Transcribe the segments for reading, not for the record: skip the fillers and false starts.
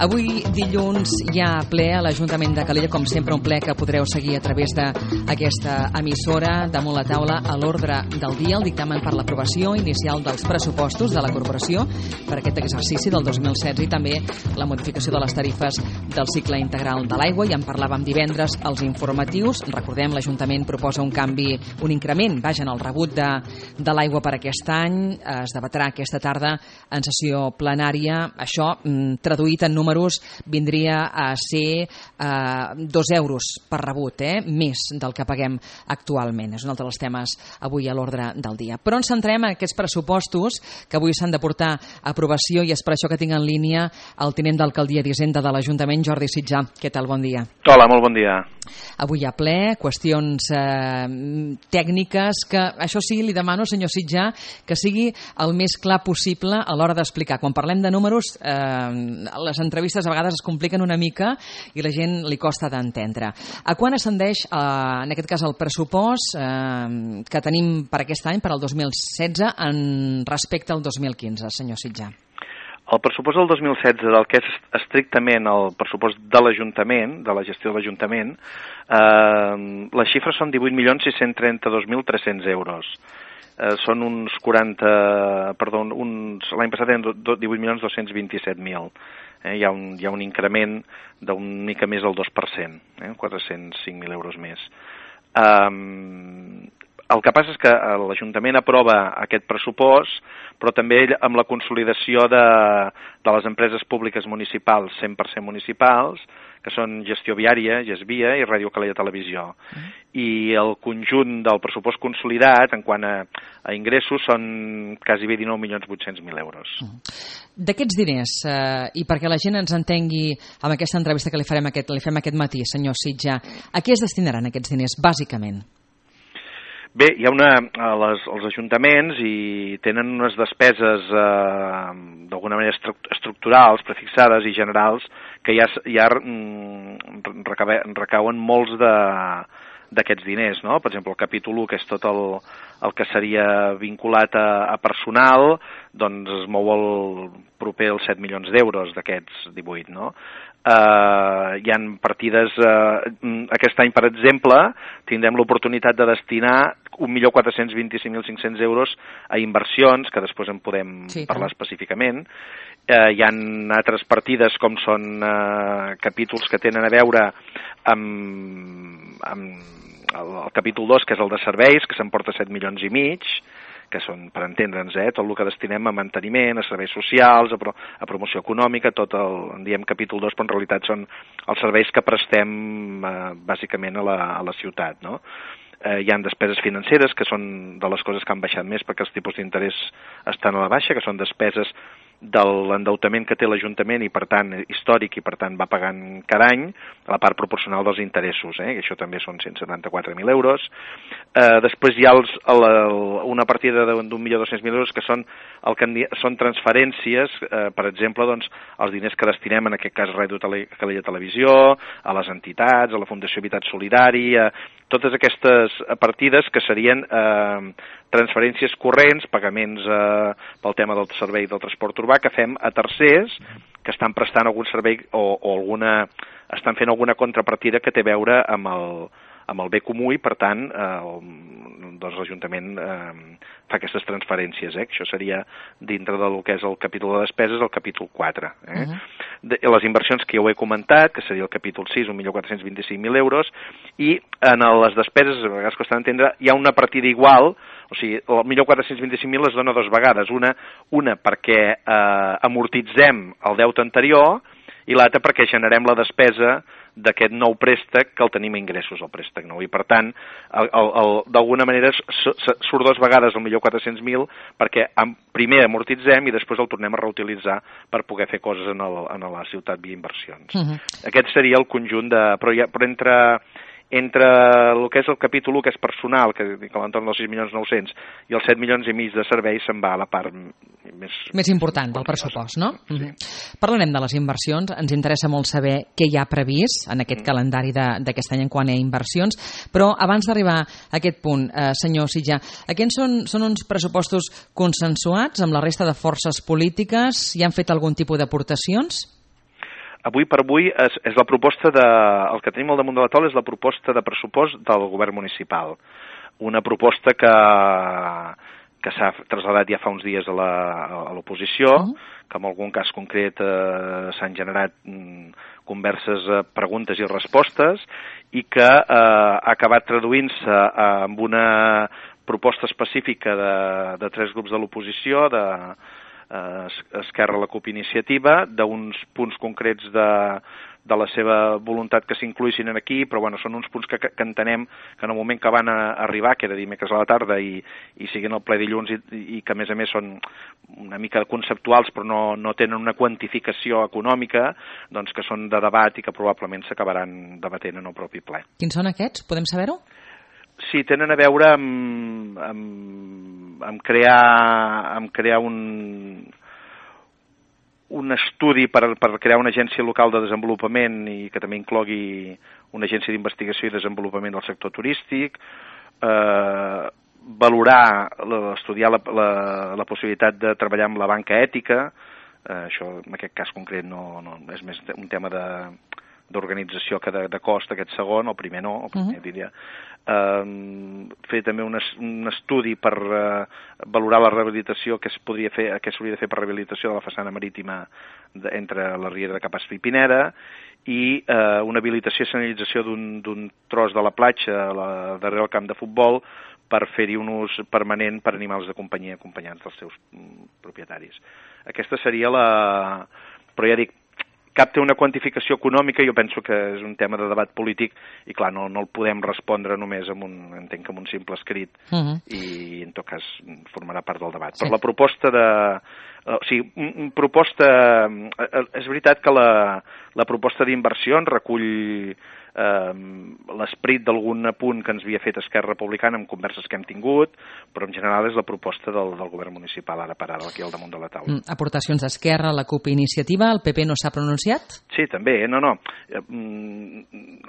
Avui, dilluns, hi ha ple a l'Ajuntament de Calella, com sempre un ple que podreu seguir a través d'aquesta emissora. Damunt la taula, a l'ordre del dia, el dictamen per l'aprovació inicial dels pressupostos de la corporació per aquest exercici del 2016 i també la modificació de les tarifes del cicle integral de l'aigua. Ja en parlàvem divendres als informatius. Recordem, l'Ajuntament proposa un canvi, un increment, en el rebut de l'aigua per aquest any. Es debatrà aquesta tarda en sessió plenària. Això, traduït en números, vindria a ser 2 euros per rebut, més del que paguem actualment. És un altre dels temes avui a l'ordre del dia. Però ens centrem en aquests pressupostos que avui s'han de portar a aprovació i és per això que tinc en línia el tinent d'alcaldia d'Hisenda de l'Ajuntament, Jordi Sitjar. Què tal? Bon dia. Hola, molt bon dia. Avui hi ha ple, qüestions tècniques que, això sí, li demano, senyor Sitjar, que sigui el més clar possible a l'hora d'explicar. Quan parlem de números, les entrevistes a vegades es compliquen una mica i la gent li costa d'entendre. A quan ascendeix, en aquest cas, el pressupost que tenim per aquest any, per al 2016, en respecte al 2015, senyor Sitjar? El pressupost del 2016, del que és estrictament el pressupost de l'Ajuntament, de la gestió de l'Ajuntament, les xifres són 18.632.300 euros. Són uns 40... Perdó, l'any passat eren 18.227.000. Hi ha un increment d'un mica més del 2%, 405.000 euros més. El que passa és que l'Ajuntament aprova aquest pressupost, però també amb la consolidació de les empreses públiques municipals, 100% municipals, que són Gestió Viària, Gesvia i Ràdio Calella Televisió. I el conjunt del pressupost consolidat, en quant a ingressos, són quasi 19.800.000 euros. D'aquests diners, i perquè la gent ens entengui amb aquesta entrevista que li fem aquest matí, senyor Sitjar, a què es destinaran aquests diners, bàsicament? Bé, hi ha els ajuntaments i tenen unes despeses d'alguna manera estructurals, prefixades i generals que ja recauen molts d'aquests diners, no? Per exemple, el capítol 1, que és tot el que seria vinculat a personal, doncs es mou proper als 7 milions d'euros d'aquests 18, no? Hi ha partides, aquest any, per exemple, tindrem l'oportunitat de destinar 1.425.500 euros a inversions, que després en podem parlar específicament. Hi ha altres partides, com són capítols que tenen a veure amb el capítol 2, que és el de serveis, que s'emporta 7 milions i mig, que són, per entendre'ns, tot el que destinem a manteniment, a serveis socials, a promoció econòmica, en diem capítol 2, però en realitat són els serveis que prestem bàsicament a la ciutat, no? Hi ha despeses financeres, que són de les coses que han baixat més perquè els tipus d'interès estan a la baixa, que són despeses de l'endeutament que té l'Ajuntament i, per tant, històric, i, per tant, va pagant cada any a la part proporcional dels interessos, que això també són 174.000 euros. Després hi ha una partida d'1.200.000 euros que són transferències, per exemple, doncs, els diners que destinem, en aquest cas, a Ràdio Calella Televisió, a les entitats, a la Fundació Habitat Solidari, totes aquestes partides que serien transferències corrents, pagaments pel tema del servei del transport urbà, que fem a tercers que estan prestant algun servei o estan fent alguna contrapartida que té a veure amb el bé comú i, per tant, doncs l'Ajuntament fa aquestes transferències. Això seria dintre del que és el capítol de despeses, el capítol 4. Les inversions que ja ho he comentat, que seria el capítol 6, 1.425.000 euros, i en les despeses, a vegades costa d'entendre, hi ha una partida igual, o sigui, el 1.425.000 es dona 2 vegades. Una perquè amortitzem el deute anterior i l'altra perquè generem la despesa d'aquest nou préstec que el tenim a ingressos, el préstec nou. I, per tant, d'alguna manera surt 2 vegades el 1.400.000 perquè primer amortitzem i després el tornem a reutilitzar per poder fer coses a la ciutat via inversions. Aquest seria el conjunt però entre el que és el capítol 1, que és personal, que a l'entorn dels 6.900.000, i els 7 milions i mig de serveis, se'n va a la part més important del pressupost, no? Parlarem de les inversions. Ens interessa molt saber què hi ha previst en aquest calendari d'aquest any en quant a inversions, però abans d'arribar a aquest punt, senyor Sitjar, aquests són uns pressupostos consensuats amb la resta de forces polítiques? Hi han fet algun tipus d'aportacions? avui per avui és la proposta el que tenim al damunt de la taula és la proposta de pressupost del govern municipal. Una proposta que s'ha traslladat ja fa uns dies a l'oposició, que en algun cas concret s'han generat converses, preguntes i respostes, i que ha acabat traduint-se amb una proposta específica de 3 grups de l'oposició, Esquerra, la CUP, Iniciativa, d'uns punts concrets de la seva voluntat que s'incluïssin aquí, però bueno, són uns punts que entenem que en el moment que van arribar, que era dimecres a la tarda, i siguin el ple dilluns, i que a més són una mica conceptuals però no tenen una quantificació econòmica, doncs que són de debat i que probablement s'acabaran debatent en el propi ple. Quins són aquests? Podem saber-ho? Sí, tenen a veure amb crear un estudi per crear una agència local de desenvolupament i que també inclogui una agència d'investigació i desenvolupament del sector turístic, estudiar la possibilitat de treballar amb la banca ètica, això en aquest cas concret no és més un tema d'organització que de cost, aquest segon, el primer no, el primer diria. Fer també un estudi per valorar la rehabilitació que s'hauria de fer per rehabilitació de la façana marítima entre la Riera de Capaç i Pineda, i una habilitació i senyalització d'un tros de la platja darrere el camp de futbol per fer-hi un ús permanent per animals de companyia acompanyats dels seus propietaris. Aquesta seria però ja dic, cap té una quantificació econòmica, jo penso que és un tema de debat polític i clar, no el podem respondre només amb un simple escrit i en tot cas formarà part del debat. Sí. Però la proposta és veritat que la proposta d'inversions recull l'esperit d'algun apunt que ens havia fet Esquerra Republicana en converses que hem tingut, però en general és la proposta del govern municipal ara per ara, aquí al damunt de la taula. Aportacions d'Esquerra, la CUP, Iniciativa, el PP no s'ha pronunciat? Sí, també, no.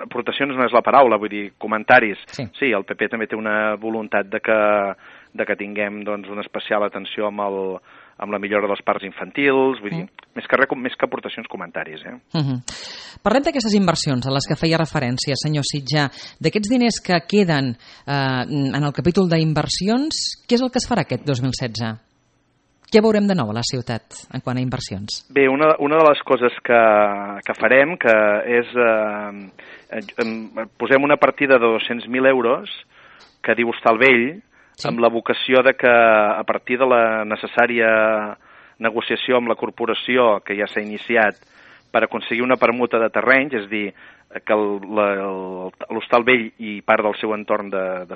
Aportacions no és la paraula, vull dir, comentaris. Sí, el PP també té una voluntat de que tinguem doncs, una especial atenció amb la millora dels parcs infantils, vull dir, més que aportacions, comentaris. Parlem d'aquestes inversions a les que feia referència, senyor Sitjar. D'aquests diners que queden en el capítol d'inversions, què és el que es farà aquest 2016? Què veurem de nou a la ciutat en quant a inversions? Bé, una de les coses que farem que és posem una partida de 200.000 euros que diu Hostalvell, amb la vocació de que a partir de la necessària negociació amb la corporació que ja s'ha iniciat per aconseguir una permuta de terrenys, és a dir, que l'Hostalvell i part del seu entorn del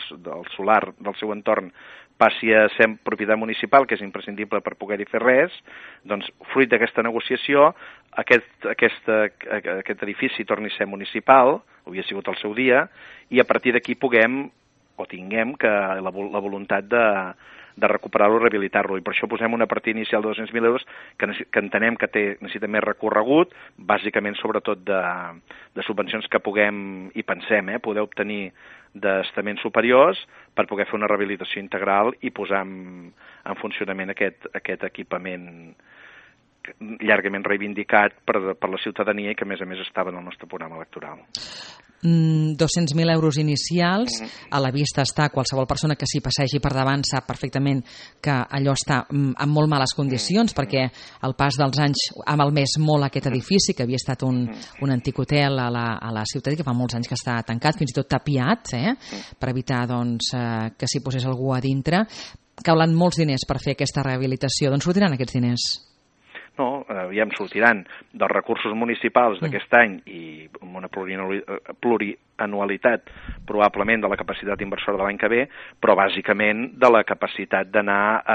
solar del seu entorn passi a ser propietat municipal, que és imprescindible per poder-hi fer res, doncs fruit d'aquesta negociació aquest edifici torni a ser municipal, havia sigut el seu dia, i a partir d'aquí tinguem la voluntat de recuperar-lo i rehabilitar-lo. I per això posem una partida inicial de 200.000 euros que entenem que necessita més recorregut, bàsicament sobretot de subvencions que puguem, i pensem, poder obtenir d'estaments superiors per poder fer una rehabilitació integral i posar en funcionament aquest equipament llargament reivindicat per la ciutadania i que a més estava en el nostre programa electoral. 200.000 euros inicials, a la vista està, qualsevol persona que s'hi passegi per davant sap perfectament que allò està en molt males condicions, perquè el pas dels anys ha malmès molt aquest edifici, que havia estat un antic hotel a la ciutat i que fa molts anys que està tancat, fins i tot tapiat, per evitar que s'hi posés algú a dintre. Calen molts diners per fer aquesta rehabilitació. D'on sortiran aquests diners? No, aviam, sortiran dels recursos municipals d'aquest any i amb una plurianualitat probablement de la capacitat inversora de l'any que ve, però bàsicament de la capacitat d'anar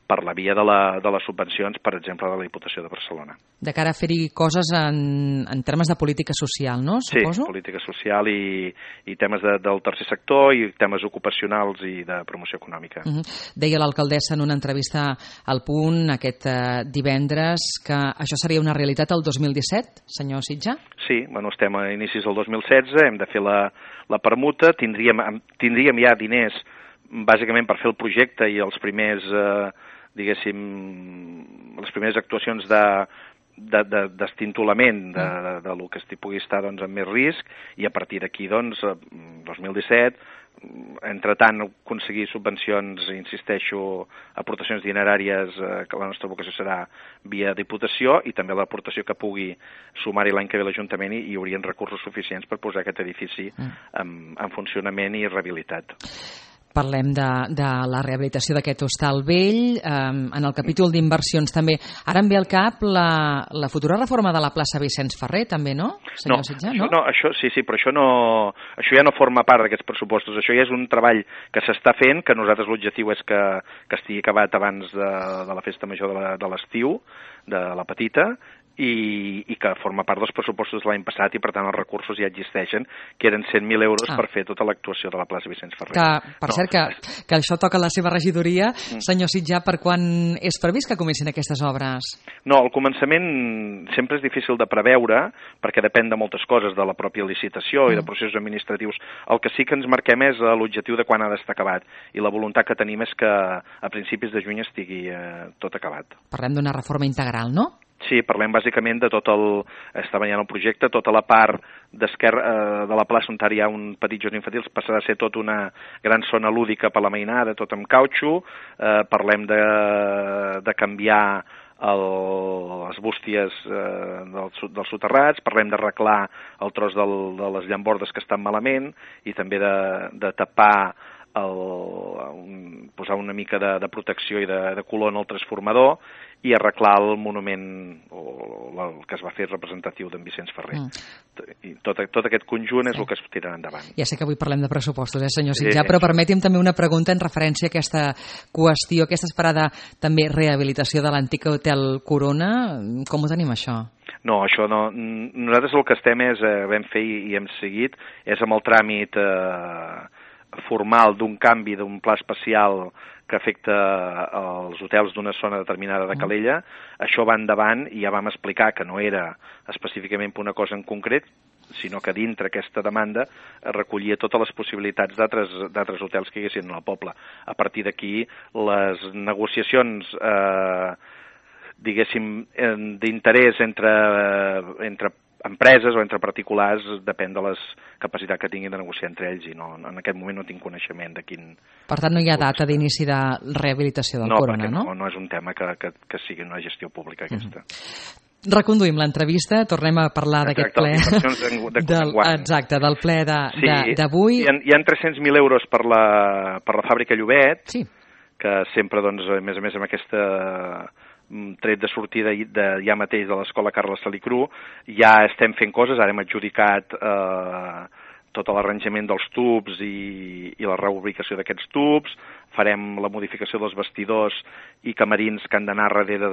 per la via de les subvencions, per exemple, de la Diputació de Barcelona. De cara a fer-hi coses en termes de política social, no? Suposo? Sí, política social i temes del tercer sector i temes ocupacionals i de promoció econòmica. Deia l'alcaldessa en una entrevista al Punt aquest divendres que això seria una realitat el 2017, senyor Sitjar? Sí, estem a inicis del 2016, hem de fer la permuta, tindríem ja diners bàsicament per fer el projecte i els primers, les primeres actuacions d'estintolament de lo que pugui estar doncs, amb més risc, i a partir d'aquí, doncs, 2017, entre tant, aconseguir subvencions, insisteixo, aportacions dineràries, que la nostra vocació serà via Diputació, i també l'aportació que pugui sumar-hi l'any que ve l'Ajuntament, i hi haurien recursos suficients per posar aquest edifici en funcionament i rehabilitat. Parlem de la rehabilitació d'aquest hostal vell, en el capítol d'inversions també. Ara em ve al cap la futura reforma de la plaça Vicenç Ferrer, també, no? Senyor Sitjar, no? Això però això ja no forma part d'aquests pressupostos. Això ja és un treball que s'està fent, que nosaltres l'objectiu és que estigui acabat abans de la festa major de l'estiu, de la petita, i que forma part dels pressupostos de l'any passat, i per tant els recursos ja existeixen, que eren 100.000 euros per fer tota l'actuació de la plaça Vicenç Ferrer. Cert que això toca la seva regidoria. Senyor Sitjar, per quan és previst que comencin aquestes obres? No, el començament sempre és difícil de preveure, perquè depèn de moltes coses, de la pròpia licitació i de processos administratius. El que sí que ens marquem és l'objectiu de quan ha d'estar acabat, i la voluntat que tenim és que a principis de juny estigui tot acabat. Parlem d'una reforma integral, no? Sí, parlem bàsicament de està veient el projecte, tota la part d'esquerra de la plaça on hi ha un petit jardí infantil passarà a ser tota una gran zona lúdica per la mainada, tot amb cautxo. Parlem de canviar les bústies dels soterrats, parlem d'arreglar el tros de les llambordes que estan malament, i també de tapar, posar una mica de protecció i de color en el transformador, i arreglar el monument el que es va fer representatiu d'en Vicenç Ferrer. I tot aquest conjunt és el que es tirarà endavant. Ja sé que avui parlem de pressupostos, senyor Sitjar, però permeti'm també una pregunta en referència a aquesta qüestió, aquesta esperada també rehabilitació de l'antic Hotel Corona. Com ho tenim, això? No, això no. Nosaltres el que estem vam fer i hem seguit és amb el tràmit formal d'un canvi d'un pla especial que afecta els hotels d'una zona determinada de Calella. Això va endavant, i ja vam explicar que no era específicament per una cosa en concret, sinó que dintre aquesta demanda recollia totes les possibilitats d'altres hotels que hi haguessin al poble. A partir d'aquí, les negociacions diguéssim, d'interès entre empreses o entre particulars depèn de les capacitats que tinguin de negociar entre ells, i en aquest moment no tinc coneixement de quin... Per tant, no hi ha data d'inici de rehabilitació del Corona, no? No és un tema que sigui una gestió pública, aquesta. Reconduïm l'entrevista, tornem a parlar d'aquest ple. Exacte, del ple d'avui. Hi ha 300.000 euros per la fàbrica Llobet, que sempre, doncs, a més amb aquesta tret de sortida ja mateix de l'escola Carles Salicru, ja estem fent coses. Ara hem adjudicat tot l'arranjament dels tubs i la reubicació d'aquests tubs, farem la modificació dels vestidors i camerins que han d'anar darrere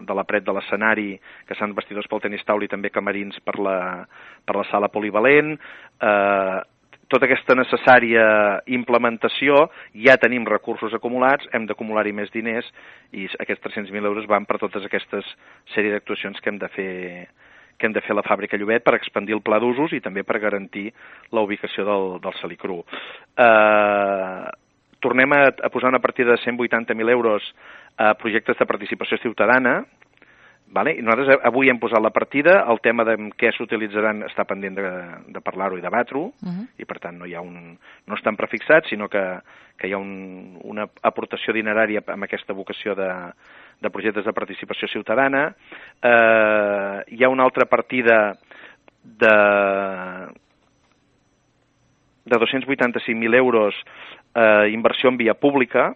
de la paret de l'escenari, que seran vestidors pel tenis taula, i també camerins per la sala polivalent. Tota aquesta necessària implementació, ja tenim recursos acumulats, hem d'acumular-hi més diners, i aquests 300.000 euros van per totes aquestes sèrie d'actuacions que hem de fer a la fàbrica Llobet per expandir el pla d'usos i també per garantir la ubicació del Salicru. Tornem a posar una partida de 180.000 euros a projectes de participació ciutadana. I nosaltres avui hem posat la partida. El tema de què s'utilitzaran està pendent de parlar-ho i debatre-ho, i per tant no estan prefixats, sinó que hi ha una aportació dinerària amb aquesta vocació de projectes de participació ciutadana. Hi ha una altra partida de 285.000 euros, inversió en via pública.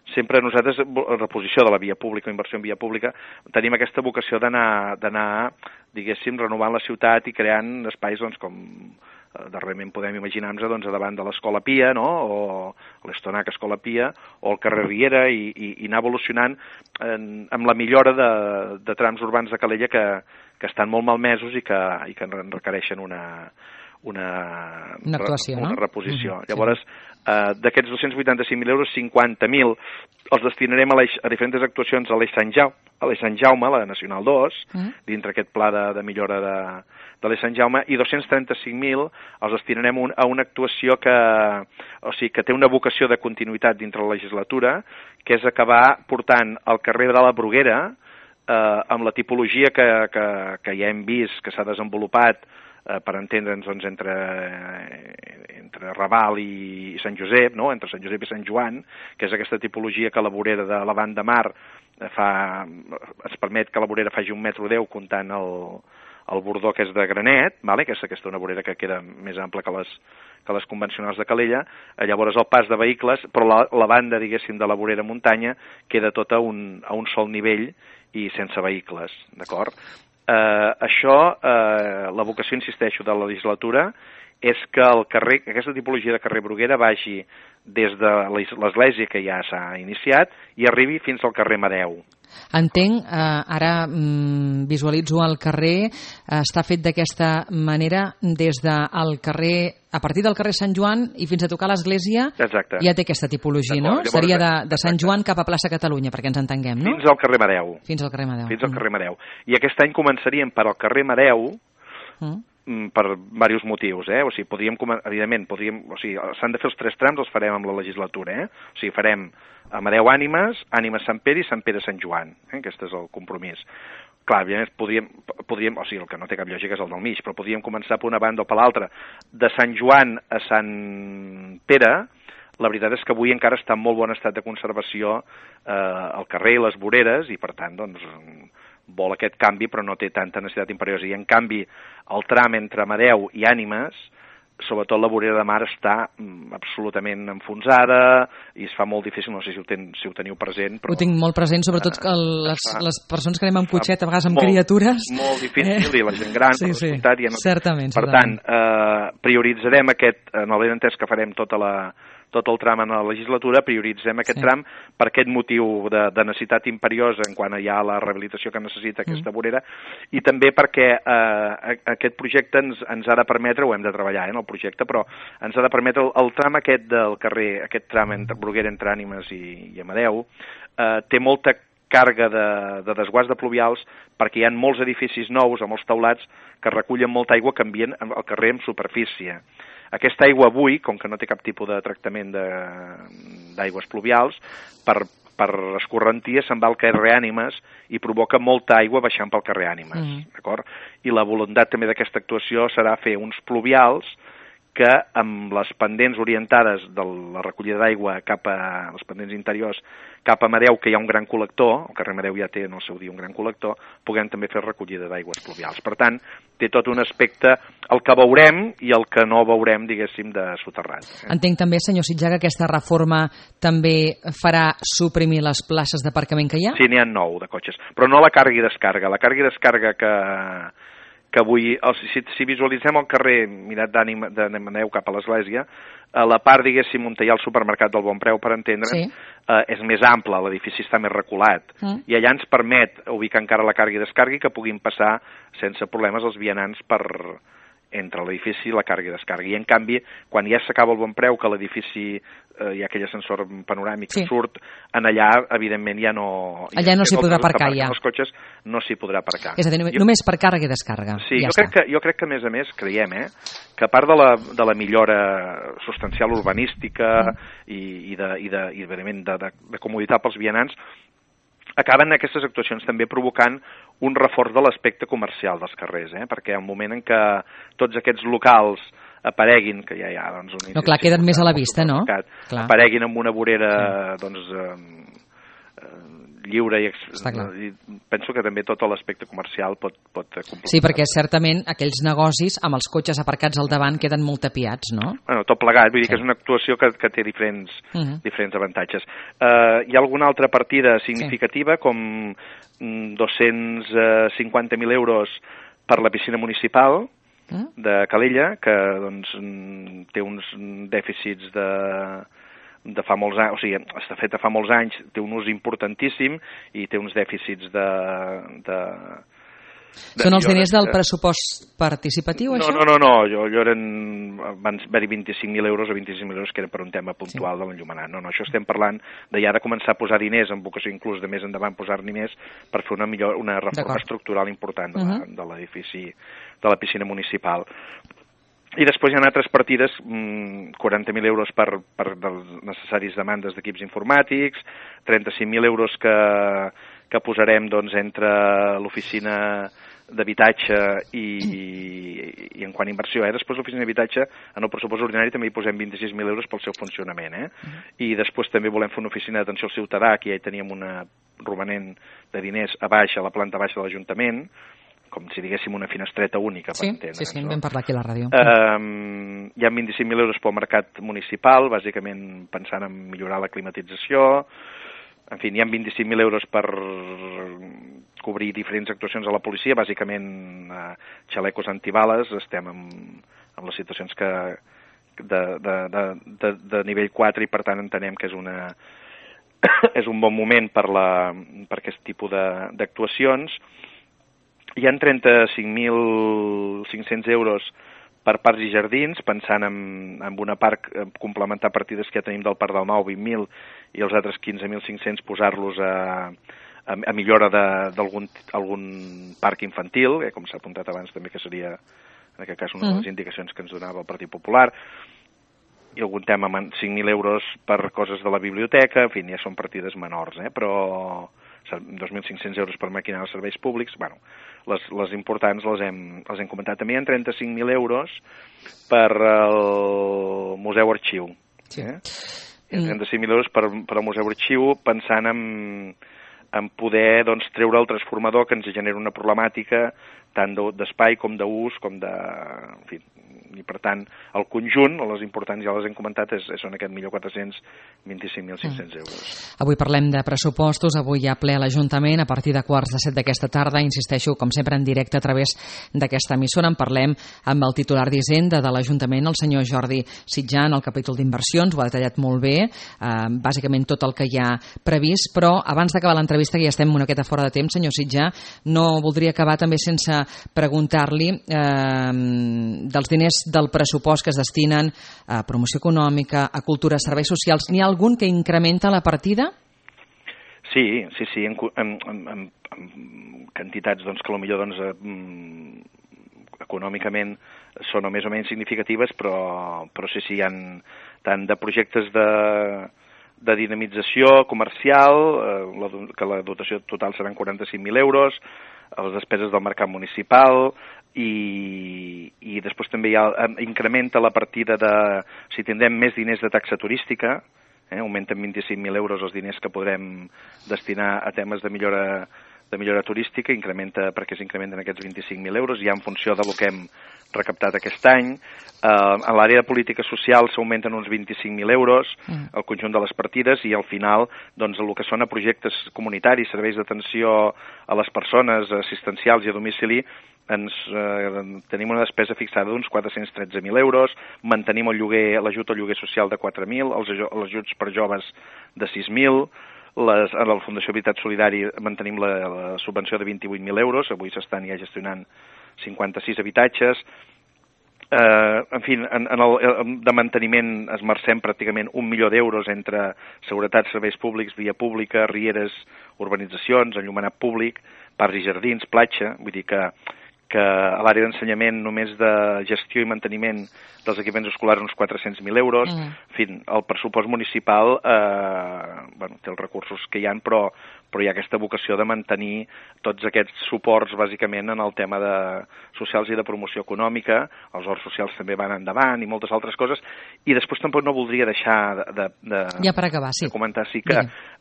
Sempre nosaltres, reposició de la via pública, inversió en via pública, tenim aquesta vocació d'anar, diguéssim, renovant la ciutat i creant espais, doncs, com darrerament podem imaginar-nos, doncs, davant de l'Escola Pia, no?, o l'Estonac Escola Pia, o el carrer Riera, i anar evolucionant amb la millora de trams urbans de Calella que estan molt malmesos i que requereixen una actuació, una reposició. Llavors, d'aquests 285.000 euros, 50.000 els destinarem a diferents actuacions a l'Eix Sant Jaume, la Nacional 2, dintre aquest pla de millora de l'Eix Sant Jaume, i 235.000 els destinarem a una actuació que té una vocació de continuïtat dintre la legislatura, que és acabar portant al carrer de la Bruguera amb la tipologia que ja hem vist, que s'ha desenvolupat, per entendre'ns, doncs, entre Raval i Sant Josep, no? Entre Sant Josep i Sant Joan, que és aquesta tipologia que la vorera de la banda mar es permet que la vorera faci 1,10 m comptant el bordó que és de granet, vale? Que és aquesta una vorera que queda més ampla que les convencionals de Calella. Llavors el pas de vehicles, però la banda, diguéssim, de la vorera muntanya queda tota a un sol nivell i sense vehicles, d'acord? Això, la vocació, insisteixo, de la legislatura és que aquesta tipologia de carrer Bruguera vagi des de l'església, que ja s'ha iniciat, i arribi fins al carrer Madeu. Entenc, ara visualitzo el carrer, està fet d'aquesta manera des del carrer, a partir del carrer Sant Joan i fins a tocar l'església. Exacte. Ja té aquesta tipologia, no? Llavors, seria de Sant Joan cap a plaça Catalunya, perquè ens entenguem, no? Fins al carrer Madeu. Fins al carrer Madeu. Fins al carrer Madeu. I aquest any començaríem per al carrer Madeu, per diversos motius, O sigui, evidentment, s'han de fer els 3 trams, els farem amb la legislatura, O sigui, farem Amadeu Ànimes, Ànimes Sant Pere i Sant Pere Sant Joan, Aquest és el compromís. Clar, podríem, o sigui, el que no té cap lògica és el del mig, però podríem començar per una banda o per l'altra. De Sant Joan a Sant Pere, la veritat és que avui encara està en molt bon estat de conservació el carrer i les voreres, i per tant, doncs, vol aquest canvi, però no té tanta necessitat imperiosa. I en canvi, el tram entre Amadeu i Ànimes, sobretot la vorera de mar, està absolutament enfonsada i es fa molt difícil, no sé si ho teniu present. Però, ho tinc molt present, sobretot que les persones que anem amb cotxet, a vegades amb criatures. Molt difícil, i la gent gran, sí, certament. Per tant, prioritzarem en el benentès que farem tot el tram en la legislatura, prioritzem aquest tram per aquest motiu de necessitat imperiosa en quant hi ha la rehabilitació que necessita aquesta vorera, i també perquè aquest projecte ens ha de permetre, ho hem de treballar en el projecte, però ens ha de permetre el tram aquest del carrer, aquest tram entre Bruguera, entre Ànimes i Amadeu, té molta càrrega de desguàs de pluvials perquè hi ha molts edificis nous amb els teulats que recullen molta aigua que envien al carrer en superfície. Aquesta aigua avui, com que no té cap tipus de tractament d'aigües pluvials, per escorrentia se'n va al carrer Ànimes i provoca molta aigua baixant pel carrer Ànimes, d'acord? I la voluntat també d'aquesta actuació serà fer uns pluvials que amb les pendents orientades de la recollida d'aigua cap a les pendents interiors, cap a Amadeu, que hi ha un gran col·lector, el carrer Amadeu ja té en el seu dia un gran col·lector, puguem també fer recollida d'aigües pluvials. Per tant, té tot un aspecte, el que veurem i el que no veurem, diguéssim, de soterrat. Entenc també, senyor Sitjar, que aquesta reforma també farà suprimir les places d'aparcament que hi ha? Sí, n'hi ha 9 de cotxes, però no la càrrega i descàrrega. La càrrega i descàrrega que avui, si visualitzem el carrer mirat d'Amadeu cap a l'església, a la part, diguéssim, on hi ha el supermercat del Bon Preu, per entendre'ns, és més ample, l'edifici està més reculat, i allà ens permet ubicar encara la càrrega i descàrrega i que puguin passar sense problemes els vianants entre l'edifici i la càrrega i descàrrega. I en canvi, quan ja s'acaba el Bon Preu, que l'edifici hi ha aquell ascensor panoràmic que surt, en allà, evidentment, ja no... Allà no s'hi podrà aparcar, ja. Els cotxes no s'hi podrà aparcar. És a dir, només per càrrega i descàrrega. Sí, jo crec que, a més a més, creiem que a part de la millora substancial urbanística i de comoditat pels vianants, acaben aquestes actuacions també provocant un reforç de l'aspecte comercial dels carrers, perquè al moment en què tots aquests locals apareguin, que ja hi ha... Doncs, no, clar, queden més a la vista, no? Apareguin amb una vorera lliure i penso que també tot l'aspecte comercial pot completar. Sí, perquè certament aquells negocis amb els cotxes aparcats al davant queden molt tapiats, no? Bueno, tot plegat, vull dir que és una actuació que té diferents avantatges. Hi ha alguna altra partida significativa com 250.000 euros per la piscina municipal de Calella, que doncs, té uns dèficits de fa molts anys, o sigui, està feta fa molts anys, té un ús importantíssim i té uns dèficits Són els diners del pressupost participatiu, això? No, jo eren, van haver-hi 25.000 euros o 25.000 euros que eren per un tema puntual de l'enllumenat. No, això estem parlant de ja de començar a posar diners, amb vocació inclús de més endavant posar-n'hi més, per fer una reforma estructural important de l'edifici, de la piscina municipal. I després hi ha altres partides, 40.000 euros per les necessàries demandes d'equips informàtics, 35.000 euros que posarem doncs, entre l'oficina d'habitatge i en quant a inversió. Després l'oficina d'habitatge, en el pressupost ordinari també hi posem 26.000 euros pel seu funcionament. I després també volem fer una oficina d'atenció al ciutadà, que ja hi teníem una romanent de diners a la planta baixa de l'Ajuntament, com si diguéssim una finestreta única, per entendre. Sí, en vam parlar aquí a la ràdio. Hi ha 25.000 euros pel mercat municipal, bàsicament pensant en millorar la climatització. En fi, hi ha 25.000 euros per cobrir diferents actuacions a la policia, bàsicament xalecos antibales. Estem en les situacions de nivell 4 i per tant entenem que és un bon moment per aquest tipus d'actuacions. Hi ha 35.500 euros per parcs i jardins, pensant en una part, complementar partides que ja tenim del Parc del Mau, 20.000, i els altres 15.500 posar-los a millora d'algun parc infantil, com s'ha apuntat abans també, que seria, en aquest cas, una de les indicacions que ens donava el Partit Popular, i algun tema amb 5.000 euros per coses de la biblioteca, en fi, ja són partides menors, però 2.500 euros per maquinar els serveis públics, bueno, les importants les hem comentat. També hi ha 35.000 euros per al Museu Arxiu. Sí. 35.000 euros per al Museu Arxiu, pensant en poder treure el transformador que ens genera una problemàtica tant d'espai com d'ús, com de... En fi, i per tant el conjunt, les importants ja les hem comentat, són aquest 1.425.500 euros. Avui parlem de pressupostos, avui hi ha ple a l'Ajuntament a partir de 6:45 d'aquesta tarda, insisteixo com sempre en directe a través d'aquesta emissora. En parlem amb el titular d'Hisenda de l'Ajuntament, el senyor Jordi Sitjar, en el capítol d'inversions, ho ha detallat molt bé, bàsicament tot el que hi ha previst, però abans d'acabar l'entrevista, que ja estem una miqueta fora de temps, senyor Sitjar, no voldria acabar també sense preguntar-li dels diners del pressupost que es destinen a promoció econòmica, a cultura, a serveis socials. N'hi ha algun que incrementa la partida? Sí, en quantitats que potser econòmicament són més o menys significatives, però sí, hi ha tant de projectes de dinamització comercial, que la dotació total seran 45.000 euros, les despeses del mercat municipal, i després també incrementa la partida si tindrem més diners de taxa turística, augmenten 25.000 euros els diners que podrem destinar a temes de millora turística, perquè s'incrementen aquests 25.000 euros, ja en funció del que hem recaptat aquest any. En l'àrea de política social s'augmenten uns 25.000 euros, el conjunt de les partides, i al final el que són a projectes comunitaris, serveis d'atenció a les persones, assistencials i a domicili, tenim una despesa fixada d'uns 413.000 euros, mantenim l'ajut al lloguer social de 4.000, els ajuts per joves de 6.000, a la Fundació Habitat Solidari mantenim la subvenció de 28.000 euros, avui s'estan ja gestionant 56 habitatges. En fi, de manteniment esmercem pràcticament 1 milió d'euros entre seguretat, serveis públics, via pública, rieres, urbanitzacions, enllumenat públic, parcs i jardins, platja, vull dir que a l'àrea d'ensenyament només de gestió i manteniment dels equipaments escolars uns 400.000 euros. En fi, el pressupost municipal té els recursos que hi ha, però hi ha aquesta vocació de mantenir tots aquests suports bàsicament en el tema de socials i de promoció econòmica. Els horts socials també van endavant i moltes altres coses. I després tampoc no voldria deixar ja per acabar, sí, de comentar que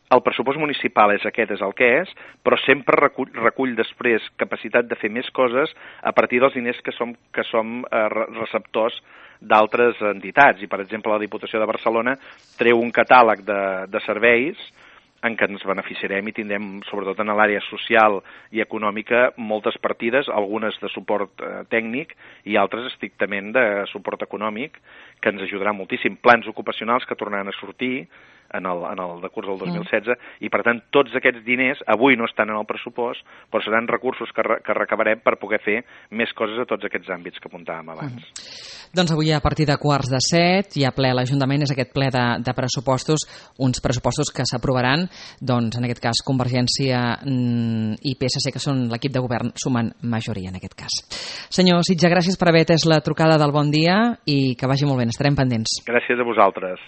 el pressupost municipal és el que és, però sempre recull després capacitat de fer més coses a partir dels diners que som receptors d'altres entitats. I, per exemple, la Diputació de Barcelona treu un catàleg de serveis en què ens beneficiarem i tindrem, sobretot en l'àrea social i econòmica, moltes partides, algunes de suport tècnic i altres estrictament de suport econòmic, que ens ajudarà moltíssim. Plans ocupacionals que tornaran a sortir en el decurs del 2016, i per tant tots aquests diners avui no estan en el pressupost, però seran recursos que recabarem per poder fer més coses a tots aquests àmbits que apuntàvem abans. Doncs avui a partir de 6:45 hi ha ple a l'Ajuntament, és aquest ple de pressupostos, uns pressupostos que s'aprovaran, doncs en aquest cas Convergència i PSC, que són l'equip de govern, sumen majoria en aquest cas. Senyor Sitjar, gràcies per haver atès la trucada del Bon Dia i que vagi molt bé, estarem pendents. Gràcies a vosaltres.